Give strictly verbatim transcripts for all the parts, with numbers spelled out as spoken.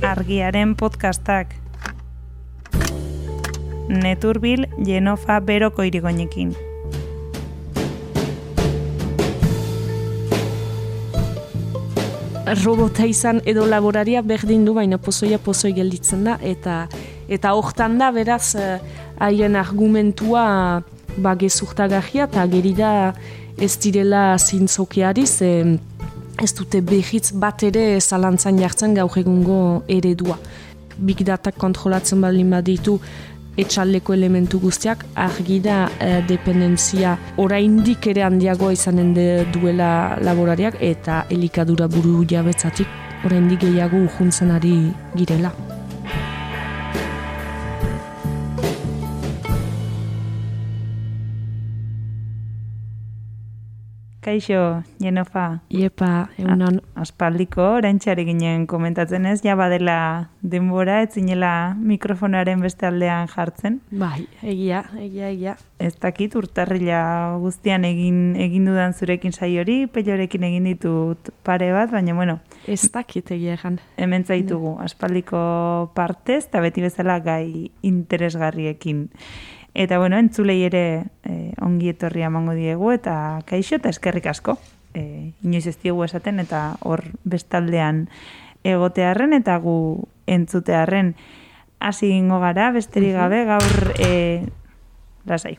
Argiaren podcastak. Neturbil Jenofa Beroko irigoinekin. Robota izan edo laboraria berdin du, baina pozoia pozoi gelditzen da, eta eta hortan da, beraz, haien argumentua ba, gezurtagarria, eta geri da ez direla zintzokiari, ze ez dute behitz bat ere zalantzan jartzen gaur egungo eredua. Big Data kontrolatzen baldin baditu etxaldeko elementu guztiak, argi da eh, dependentzia oraindik ere handiagoa izanen de duela laborariak, eta elikadura buru jabetzatik oraindik gehiago urjuntzen ari girela. Kaixo, Jenofa. Iepa, egunon. Aspaldiko, oraintxari ginen komentatzen ez, ja badela denbora, ez zinela mikrofonaren beste aldean jartzen. Bai, egia, egia, egia. Ez dakit, urtarrila guztian egin egin dudan zurekin saiori, Peiorekin egin ditut pare bat, baina bueno. Ez dakit egia egan. Hemen zaitugu, aspaldiko partez, eta beti bezala gai interesgarriekin. Eta bueno, entzulei ere eh, ongi etorria emango diegu, eta kaixo eta eskerrik asko. Eh, inoiz ez diegu esaten, eta hor bestaldean egotearren, eta gu entzutearren hasi gingo gara, besterik gabe, gaur eh, lasai.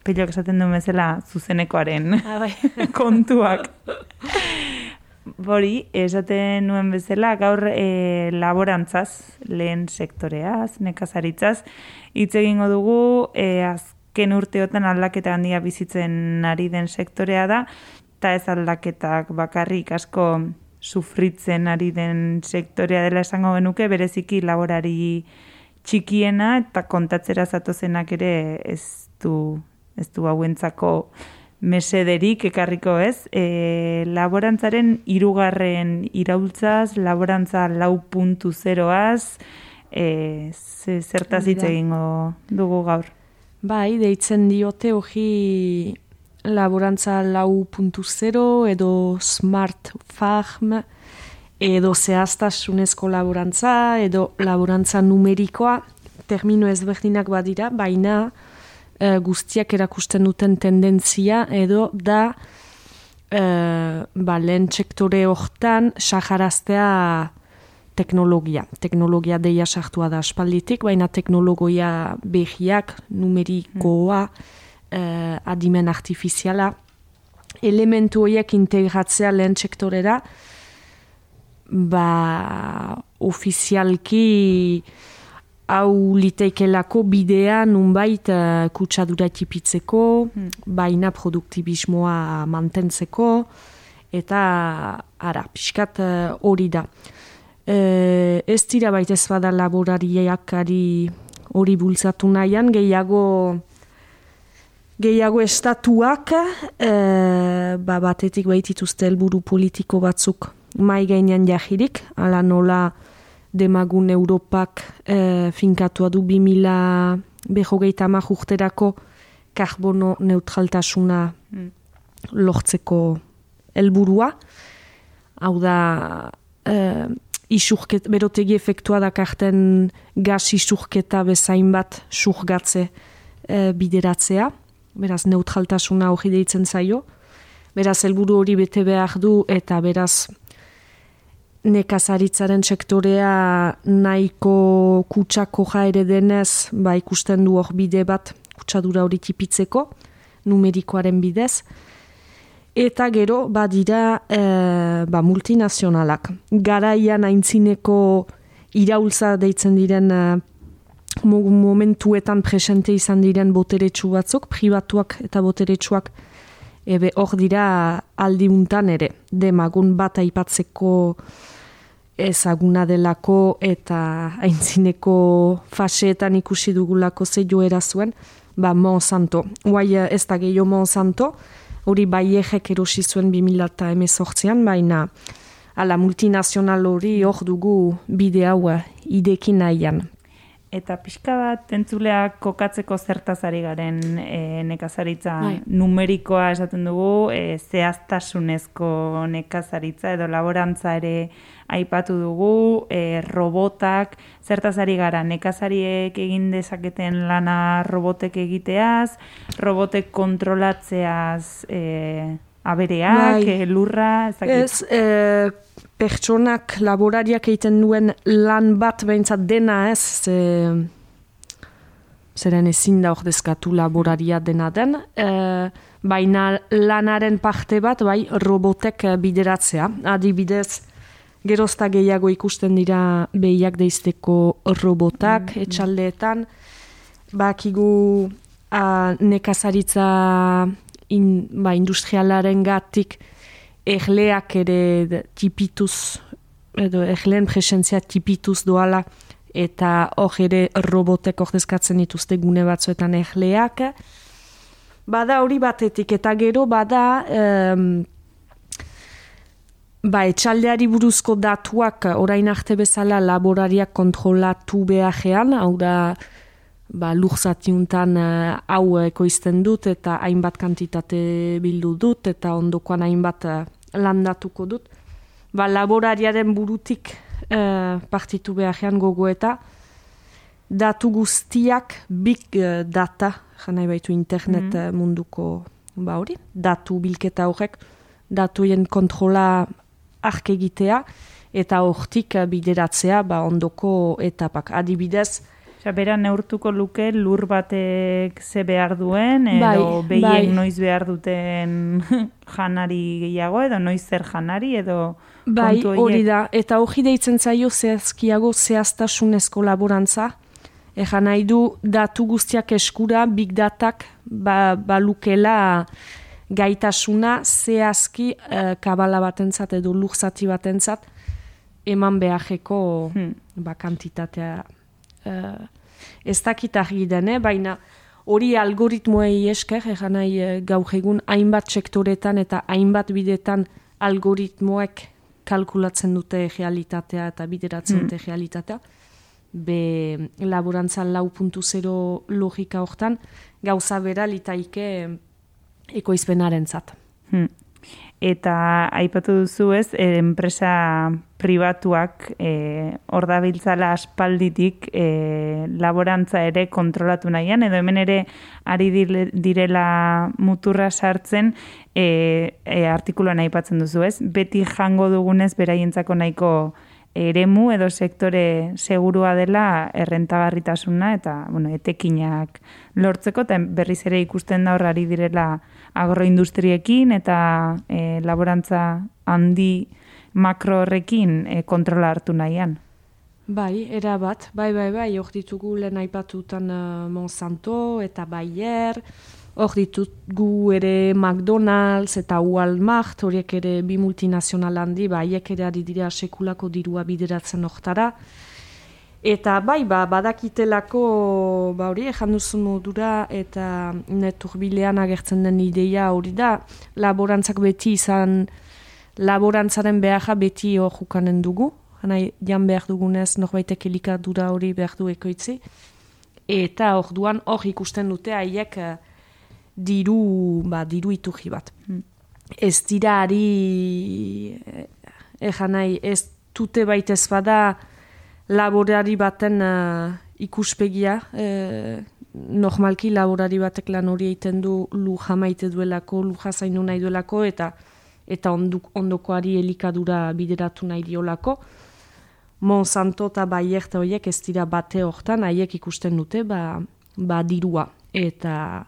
Peilok esaten duen bezala zuzenekoaren kontuak. Bori, esaten nuen bezala, gaur e, laborantzaz, lehen sektoreaz, nekazaritzaz, hitz egingo dugu, e, azken urteotan aldaketa handia bizitzen ari den sektorea da, eta ez aldaketak bakarrik asko sufritzen ari den sektorea dela esango genuke, bereziki laborari txikiena eta kontatzera zatozenak ere ez du, ez du hauentzako mesederik ekarriko ez, e, laborantzaren hirugarren iraultzaz, laborantza lau puntu zeroaz, e, zertaz hitz egingo dugu gaur. Bai, deitzen diote hori laborantza lau puntu zero edo smart farm, edo zehaztasunezko laborantza, edo laborantza numerikoa, termino ezberdinak badira, baina Uh, guztiak erakusten duten tendentzia edo da uh, ba, lehen sektore hortan saharaztea teknologia. Teknologia deia sartua da aspalditik, baina teknologia behiak, numerikoa, uh, adimen artifiziala, elementu horiek integratzea lehen sektorera, ba, ofizialki hau liteikelako bidea nunbait uh, kutsadura tipitzeko, hmm. baina produktibismoa mantentzeko, eta ara, pixkat hori uh, da. E, ez dira baita ez bada laborariakari hori bultzatu nahian, gehiago, gehiago estatuak e, ba, batetik baitituzte helburu politiko batzuk mai gainean jahirik, ala nola demagun Europak e, finkatua du bi mila berrogeita hamar urterako karbono neutraltasuna mm. lortzeko helburua. Hau da, e, isurket, berotegi efektua dakarten gas isurketa bezain bat surgatze e, bideratzea. Beraz, neutraltasuna hori deitzen zaio. Beraz, helburu hori bete behar du, eta beraz, nekazaritzaren sektorea nahiko kutsako ere denez, ba ikusten du hor bide bat kutsadura hori tipitzeko, numerikoaren bidez. Eta gero, badira e, ba, multinazionalak. Garaian aintzineko iraultza deitzen diren e, momentuetan presente izan diren boteretsu batzuk, pribatuak eta boteretsuak, ebe hor dira aldiuntan ere, demagun bat aipatzeko ezaguna delako eta aintzineko faseetan ikusi dugulako ze joera zuen, ba Monsanto. Guai ez da gehiago Monsanto, hori Bayerrek erosi zuen bi mila hemezortzian, baina ala multinazional hori hor dugu bide hau idekin nahian. Eta pixka bat entzuleak kokatzeko zertaz ari garen e, nekazaritza bai. numerikoa esaten dugu, e, zehaztasunezko nekazaritza edo laborantza ere aipatu dugu, e, robotak, zertaz ari gara nekazariek egin dezaketen lana robotek egiteaz, robotek kontrolatzeaz e, abereak, bai. e, lurra, ezakit. Ez, e, pertsonak, laborariak egiten duen lan bat behintzat dena ez, ze, zeren ezin da ordezkatu laboraria dena den, e, baina lanaren parte bat bai robotek bideratzea. Adibidez, gerozta gehiago ikusten dira behiak deizteko robotak, mm, etxaldeetan, bakigu a, nekazaritza in, ba, industrialaren gatik erleak ere tipituz, edo erleen presentzia tipituz doala, eta hor ere robotek ordezkatzen dituzte gune batzuetan erleak. Bada hori batetik, eta gero bada um, ba, etxaldeari buruzko datuak orain arte bezala laborariak kontrolatu beharrean, hau da ba, lurzatiuntan uh, hau ekoizten dut eta hainbat kantitate bildu dut eta ondokoan hainbat uh, landatuko dut. Ba, laborariaren burutik uh, partitu beharrean gogoeta datu guztiak big uh, data, janai baitu internet mm. munduko ba hori, datu bilketa horrek, datuien kontrola ark egitea eta hortik bideratzea ba, ondoko etapak. Adibidez, Bera neurtuko luke lur batek ze behar duen, edo bai, behien bai. noiz behar duten janari gehiago, edo noiz zer janari, edo bai, kontu horiek. hori da. Eta hori deitzen zaio zehazkiago zehaztasunezko laborantza. Egan nahi du datu guztiak eskura, big datak ba, balukela gaitasuna zehazki uh, kabala batentzat edo lurzati batentzat eman beharreko hmm. ba, kantitatea. Uh, ez dakit argi den, eh? Baina hori algoritmoei esker, egan nahi uh, gaur egun hainbat sektoretan eta hainbat bidetan algoritmoek kalkulatzen dute realitatea eta bideratzen dute mm. realitatea. Be laborantza lau puntu zero logika hortan gauza bera litaike ekoizpenaren zat. Hmm. Eta aipatu duzu ez, e, enpresa pribatuak e, hor dabiltzala aspalditik e, laborantza ere kontrolatu nahian, edo hemen ere ari direla muturra sartzen e, e, artikuluan aipatzen duzu ez, beti jango dugunez beraientzako nahiko eremu edo sektore segurua dela errentagarritasuna eta bueno, etekinak lortzeko, eta berriz ere ikusten da hor ari direla agroindustriekin eta e, laborantza handi makro horrekin e, kontrola hartu nahian. Bai, era bat, bai, bai, bai, hor ditugu lehen aipatutan uh, Monsanto eta Bayer, hor ditugu ere McDonald's eta Walmart, horiek ere bi multinazional handi, haiek ere ari dira sekulako dirua bideratzen hortara. Eta bai, ba, badakitelako, ba hori, ejan duzun modura eta neturbilean agertzen den ideia hori da, laborantzak beti izan, laborantzaren beharra beti hor jukanen dugu, hanai jan behar dugunez norbaitek elikadura hori behar du ekoitzi, eta hor duan hor ikusten dute haiek diru, ba, diru iturri bat. Hmm. Ez dira ari, ejan nahi, ez dute baitez bada, laborari baten uh, ikuspegia, eh, normalki laborari batek lan hori egiten du luja maite duelako, luja zainu nahi duelako, eta eta onduk, ondokoari elikadura bideratu nahi diolako. Monsanto eta Bayer eta horiek ez dira bate hortan, haiek ikusten dute, ba, ba dirua. Eta,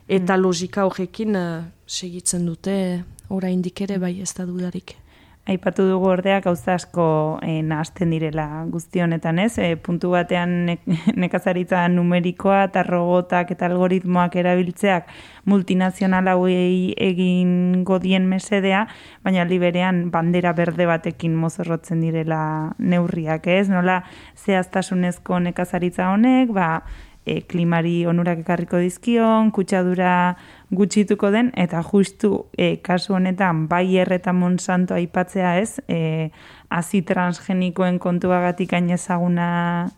eta mm. logika horrekin uh, segitzen dute, oraindik ere bai ez da dudarik. Aipatu dugu ordea gauza asko e, nahasten direla guzti honetan, ez? E, puntu batean ne, nekazaritza numerikoa eta robotak eta algoritmoak erabiltzeak multinazional hauei egingo dien mesedea, baina liberean bandera berde batekin mozorrotzen direla neurriak, ez? Nola zehaztasunezko nekazaritza honek, ba, e, klimari onurak ekarriko dizkion, kutsadura gutxituko den, eta justu e, kasu honetan Bayer eta Monsanto aipatzea ez, e, azi transgenikoen kontuagatik hain ezaguna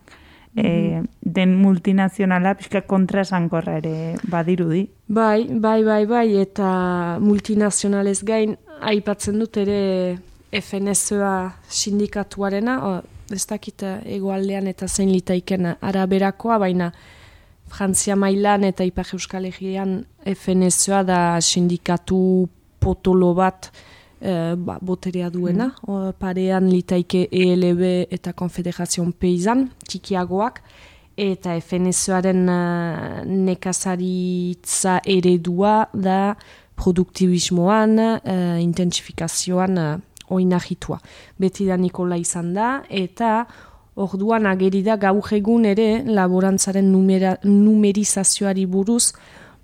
e, den multinazionala pixka kontraesankorra ere badirudi. Bai, bai, bai, bai, eta multinazionalez gain aipatzen dut ere F N S A sindikatuarena, o, ez dakit hegoaldean eta zein litaiken araberakoa, baina Frantzia mailan eta Ipar Euskal Herrian F N S A da sindikatu potolo bat e, ba, boterea duena. Mm. O, parean litaike E L B eta Konfederazion Peisan, txikiagoak, eta F N S A-ren uh, nekazaritza eredua da produktibismoan, uh, intensifikazioan uh, oinahitua. Beti da Nikola izan da, eta orduan ageri da gaur egun ere laborantzaren numera, numerizazioari buruz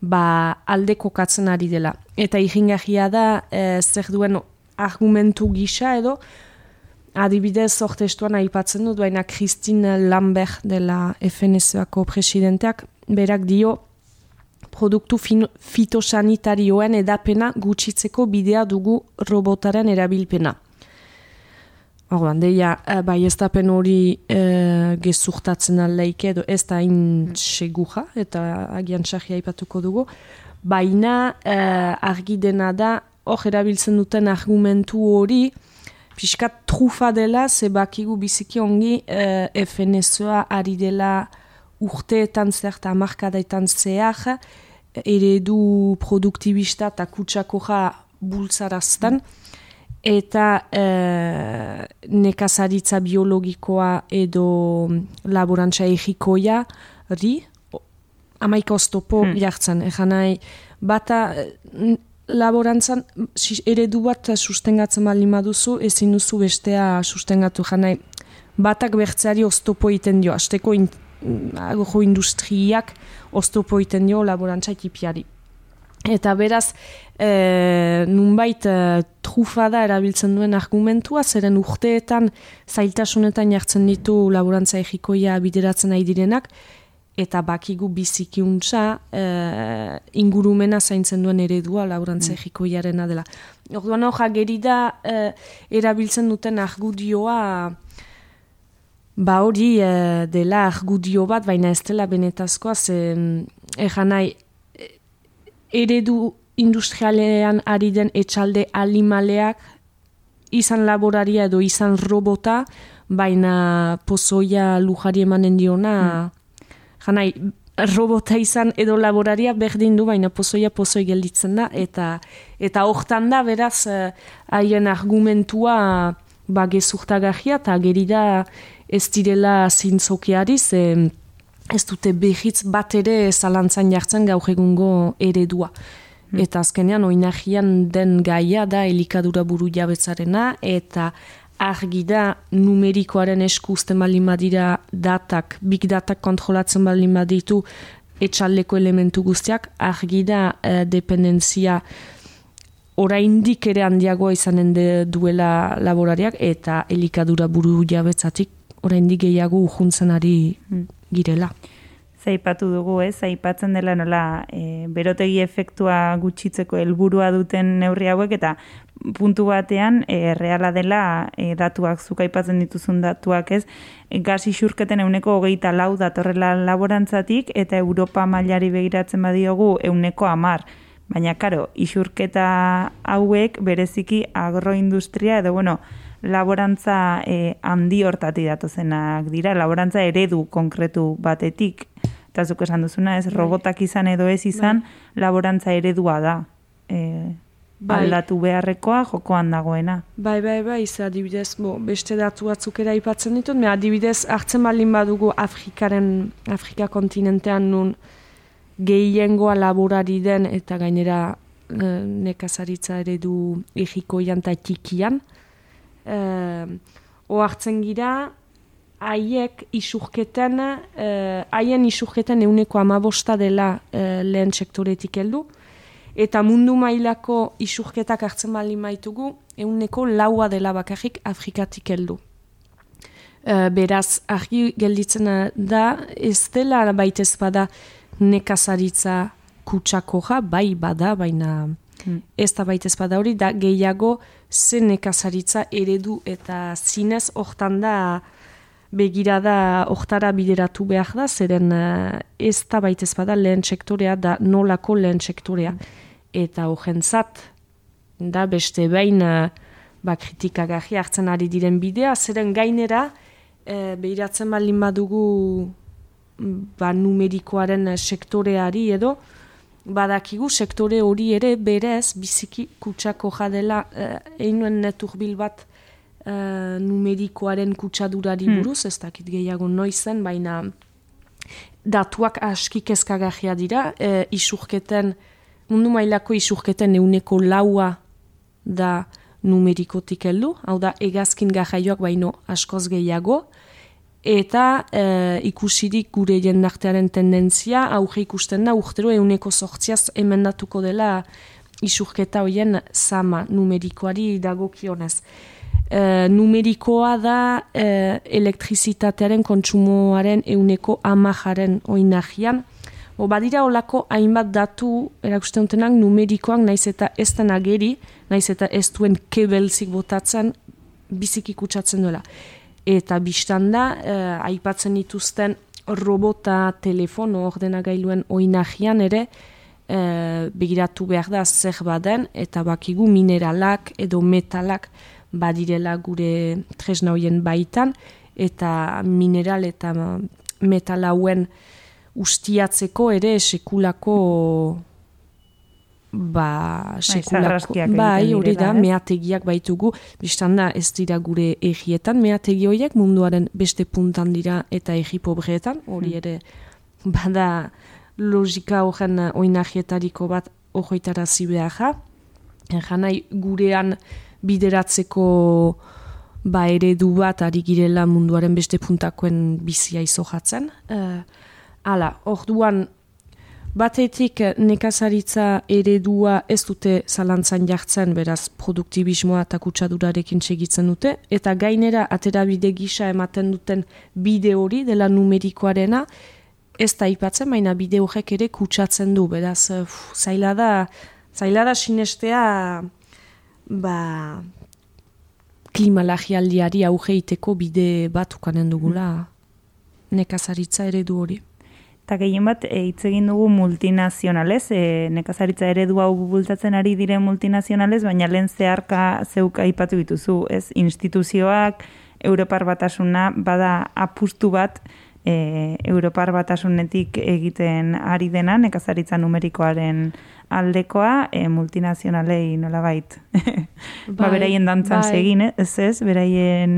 ba, alde kokatzen ari dela. Eta iringarria da eh, zer duen argumentu gisa edo, adibidez ortestuan aipatzen dut, baina Christine Lambert dela F N S A-ko presidenteak, berak dio produktu fitosanitarioen edapena gutxitzeko bidea dugu robotaren erabilpena. Orduan, deia, bai ez dapen hori e, gezurtatzen aldaik edo ez da hain segura, eta agian txarria aipatuko dugu, baina e, argi dena da, hor erabiltzen duten argumentu hori, pixkat trufa dela, zebakigu biziki ongi e, F N S A ari dela urteetan zer eta hamarkadaetan zehar, eredu produktibista eta kutsakoja bultzarazten, eta e, nekazaritza biologikoa edo laborantza egikoia ri, amaika oztopo hmm. jartzen. Egan nahi, bata laborantzan eredu bat sustengatzen baldin baduzu, ezin duzu bestea sustengatu. Egan nahi, batak bertzeari oztopo egiten dio, hasteko in, agojo industriak oztopo egiten dio laborantza ekipiari. Eta beraz, e, nunbait e, trufada erabiltzen duen argumentua, zeren urteetan zailtasunetan jartzen ditu laborantza egikoia bideratzen nahi direnak, eta bakigu bizikiuntza e, ingurumena zaintzen duen eredua laborantza egikoiarena dela. Orduan hor, geri da e, erabiltzen duten argudioa, ba hori e, dela argudio bat, baina ez dela benetazkoa, ze egan nahi, eredu industrialean ari den etxalde alimaleak izan laboraria edo izan robota, baina pozoia lujari emanen diona, mm. janai, robota izan edo laboraria berdin du, baina pozoia pozoi gelditzen da, eta eta hortan da, beraz, haien argumentua ba, gezurtagarria, eta geri da ez direla zintzokiari, ze ez dute behitz bat ere zalantzan jartzen gaur egungo eredua. Hmm. Eta azkenean oinahian den gaia da elikadura buru jabetzarena, eta argi da numerikoaren esku uzten baldin badira datak, big datak kontrolatzen baldin baditu etxaldeko elementu guztiak, argi da eh, dependentzia oraindik ere handiagoa izanen de duela laborariak, eta elikadura buru jabetzatik oraindik gehiago urjuntzen ari hmm. girela. Zaipatu dugu, ez? Zaipatzen dela nola e, berotegi efektua gutxitzeko helburua duten neurri hauek, eta puntu batean e, reala dela e, datuak, zuk aipatzen dituzun datuak, ez? E, gas isurketen euneko hogeita lau datorrela laborantzatik, eta Europa mailari begiratzen badiogu euneko hamar. Baina, karo, isurketa hauek bereziki agroindustria, edo, bueno, laborantza eh, handi hortatik datozenak dira, laborantza eredu konkretu batetik, eta zuk esan duzuna, ez, robotak izan edo ez izan, bai. Laborantza eredua da, e, bai. Aldatu beharrekoa jokoan dagoena. Bai, bai, bai, ze adibidez, bo, beste datu batzuk ere aipatzen ditut, me adibidez, hartzen baldin badugu Afrikaren, Afrika kontinentean nun gehiengoa laborari den, eta gainera e, nekazaritza eredu egikoian eta txikian, Uh, ohartzen gira haiek isurketen uh, haien isurketen euneko amabosta dela uh, lehen sektoretik heldu, eta mundu mailako isurketak hartzen baldin baitugu euneko laua dela bakarrik Afrikatik heldu. Uh, beraz, argi gelditzen da, ez dela baitez bada nekazaritza kutsakoja, bai bada, baina Hmm. ez da baitez bada hori, da gehiago zen nekazaritza eredu eta zinez hortan da begirada hortara bideratu behar da, zeren uh, ez da baitez bada lehen sektorea da nolako lehen sektorea. Eta horrentzat, da beste behin uh, ba, kritikagarri hartzen ari diren bidea, zeren gainera, uh, behiratzen baldin badugu ba, numerikoaren sektoreari edo, badakigu sektore hori ere berez biziki kutsako jadela uh, einuen neturbil bat Uh, numerikoaren kutsadurari buruz, hmm. ez dakit gehiago noizen, baina datuak aski kezkagarria dira, uh, isurketen, mundu mailako isurketen euneko laua da numerikotik heldu, hau da hegazkin garraioak baino askoz gehiago, eta uh, ikusirik gure jendartearen tendentzia, aurre ikusten da, urtero euneko sortziaz emendatuko dela isurketa hoien zama numerikoari dagokionez. Uh, numerikoa da uh, elektrizitatearen kontsumoaren euneko amajaren oinagian. O, badira olako hainbat datu erakusten dutenak numerikoak naiz eta ez den ageri, naiz eta ez duen kebelzik botatzen biziki kutsatzen duela. Eta biztan da, uh, aipatzen dituzten robota, telefono, ordenagailuen oinagian ere uh, begiratu behar da zer baden, eta bakigu mineralak edo metalak badirela gure tresna hoien baitan, eta mineral eta metal hauen ustiatzeko ere sekulako ba, sekulako, bai, hori da, meategiak baitugu, biztan da ez dira gure egietan, meategi horiek munduaren beste puntan dira eta egi pobreetan, hori ere bada logika horren oinagietariko bat ojoitarazi behar, janai gurean bideratzeko ba, eredu bat ari girela munduaren beste puntakoen bizia izojatzen. Uh, hala, orduan batetik nekazaritza eredua ez dute zalantzan jartzen, beraz produktibismoa eta kutsadurarekin segitzen dute, eta gainera aterabide gisa ematen duten bide hori dela numerikoarena, ez da aipatzen, baina bide horrek ere kutsatzen du, beraz uf, zaila da, zaila da sinestea ba, klimalagialdiari auge iteko bide bat ukanen dugula nekazaritza eredu hori. Eta gehien bat, hitz egin dugu multinazionalez, e, nekazaritza eredu hau bultzatzen ari diren multinazionalez, baina lehen zeharka zeuk aipatu dituzu, ez? Instituzioak, Europar Batasuna, bada apustu bat, e, Europar Batasunetik egiten ari dena, nekazaritza numerikoaren aldekoa, e, multinazionalei nolabait. Ba, beraien dantzan bai. Segin, ez ez, beraien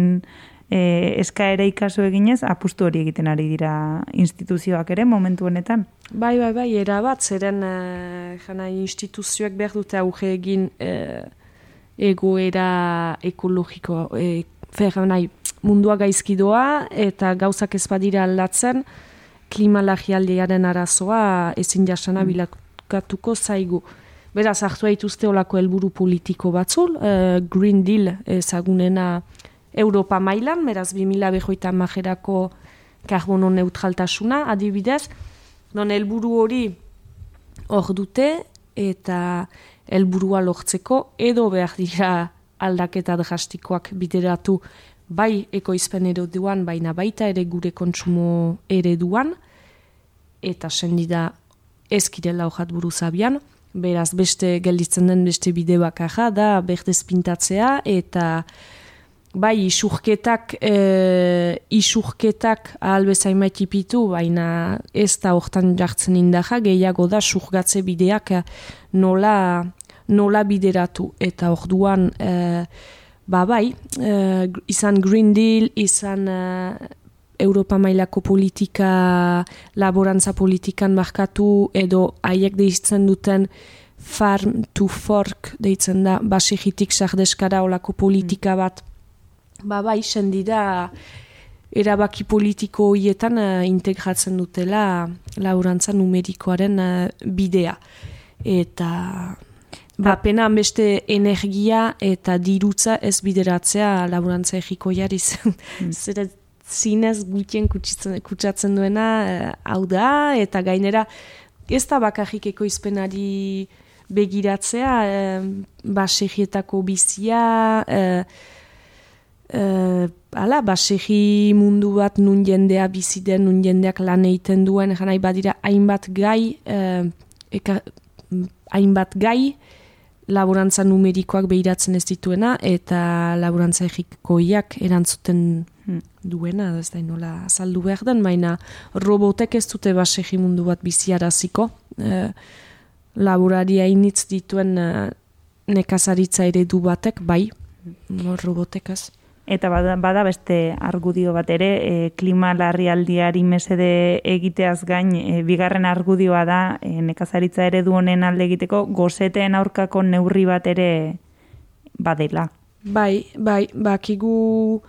e, eskaera ikasu eginez, apustu hori egiten ari dira instituzioak ere, momentu honetan. Bai, bai, bai, erabat, zeren e, jana instituzioak behar dute auge egin e, egoera ekologiko, e, fer, nahi, mundua gaizkidoa eta gauzak ez badira aldatzen, klimalagialdiaren arazoa ezin jasana mm. bilakatuko zaigu. Beraz, hartu haituzte olako helburu politiko batzul, uh, Green Deal ezagunena Europa mailan, beraz, bi mila hogeita hamarerako karbono neutraltasuna, adibidez, non helburu hori hor dute eta helburua lortzeko edo behar dira aldaketa drastikoak bideratu bai ekoizpen ereduan, baina baita ere gure kontsumo ereduan, eta sendida ez kirela hojat buruzabian, beraz beste gelditzen den beste bide bakarra da berdez pintatzea, eta bai isurketak, e, isurketak ahal bezain maitipitu, baina ez da hortan jartzen indaja, gehiago da surgatze bideak nola, nola bideratu, eta orduan e, ba bai, uh, izan Green Deal, izan uh, Europa mailako politika, laborantza politikan markatu, edo haiek deitzen duten farm to fork deitzen da, basigitik sardeskara olako politika bat, ba bai, sendida erabaki politiko horietan uh, integratzen dutela laborantza numerikoaren uh, bidea. Eta ba, pena beste energia eta dirutza ez bideratzea laborantza egikoiari mm. zera zinez gutien kutsatzen duena hau da, eta gainera ez da bakarrik ekoizpenari begiratzea, eh, basegietako bizia, eh, Uh, ala, basegi mundu bat nun jendea biziden, nun jendeak lan egiten duen, janai badira hainbat gai, uh, eka, hainbat gai, laborantza numerikoak behiratzen ez dituena, eta laborantza egikoiak erantzuten hmm. duena, ez da nola azaldu behar den, baina robotek ez dute basegi mundu bat biziaraziko, uh, laboraria initz dituen uh, nekazaritza eredu batek, bai, robotekaz. Eta bada, bada beste argudio bat ere, e, klima larrialdiari mesede egiteaz gain, e, bigarren argudioa da, e, nekazaritza eredu honen alde egiteko, goseteen aurkako neurri bat ere badela. Bai, bai, bakigu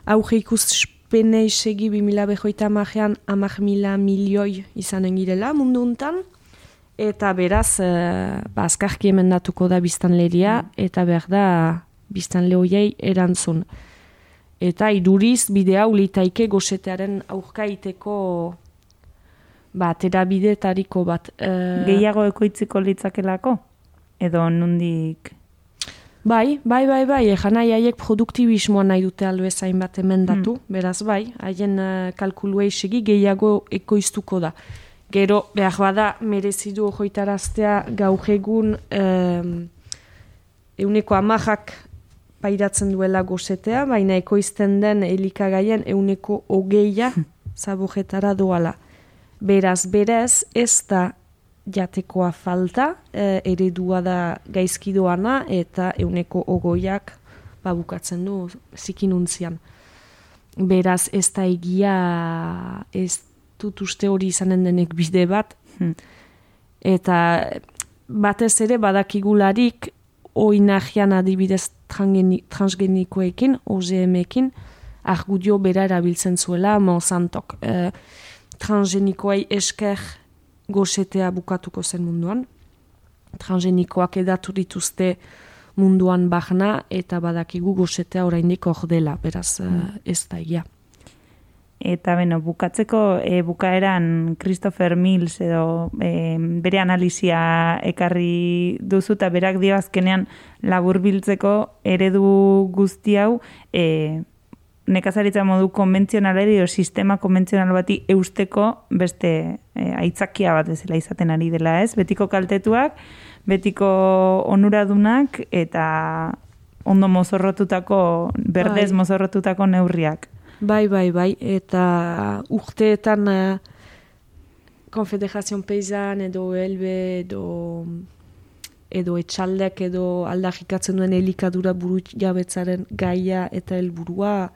auge ikuspene isegi bi mila behoita amajean amak mila milioi izanen girela mundu untan, eta beraz, e, ba, azkarki emendatuko da biztanleria, mm. eta behar da biztanle hoiei erantzun. Eta iduriz bidea ulitaike gosetearen aurka iteko ba, terabidetariko bat. E... Gehiago ekoitziko litzakelako? Edo nundik? Bai, bai, bai, bai. Ejan nahi haiek produktibismoa nahi dute albezain bat emendatu. Hmm. Beraz, bai, haien uh, kalkulua isegi gehiago ekoiztuko da. Gero, behar bada, merezidu hoitaraztea gaur egun um, euneko amajak pairatzen duela gosetea, baina ekoizten den elikagaien euneko hogeia zabojetara doala. Beraz, berez, ez da jatekoa falta, e, eredua da gaizkidoana, eta euneko ogoiak babukatzen du zikinuntzian. Beraz, ez da egia, ez dut uste hori izanen denek bide bat, hmm. eta batez ere badakigularik oinagian adibidez transgenikoekin, O G M-ekin, argudio bera erabiltzen zuela Monsantok. E, transgenikoei esker gosetea bukatuko zen munduan. Transgenikoak edatu dituzte munduan bahna, eta badakigu gosetea oraindik hor dela, beraz mm. ez da egia. Eta beno, bukatzeko e, bukaeran Christopher Mills edo e, bere analizia ekarri duzu eta berak dio azkenean laburbiltzeko eredu guzti hau e, nekazaritza modu konbentzionalari edo sistema konbentzional bati eusteko beste e, aitzakia bat ezela izaten ari dela, ez? Betiko kaltetuak, betiko onuradunak eta ondo mozorrotutako, berdez Ai. mozorrotutako neurriak. Bai, bai, bai, eta urteetan uh, Konfederazion Peisan edo Elbe edo, edo etxaldek edo aldarrikatzen duen elikadura buru jabetzaren gaia eta helburua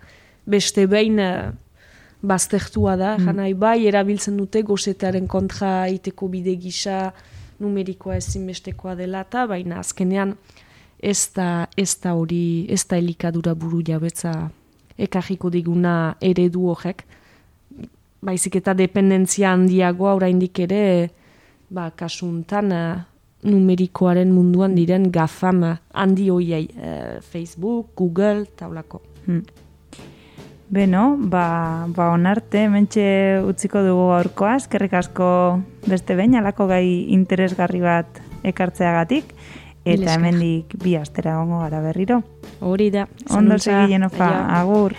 beste behin uh, baztertua da, mm. janai bai, erabiltzen dute gosetearen kontra iteko bide gisa numerikoa ezinbestekoa dela eta baina azkenean ez da, ez da hori, ez da elikadura buru jabetza ekarriko diguna eredu horrek. Baizik eta dependentzia handiagoa oraindik ere, ba, kasuntan numerikoaren munduan diren gafam handi hoiei, eh, Facebook, Google, taulako. Hmm. Beno, ba, ba onarte, mentxe utziko dugu gaurkoa, eskerrik asko beste behin, alako gai interesgarri bat ekartzeagatik, eta hemendik bi astera gongo gara berriro. Hori da. Ondo segi Jenofa, agur.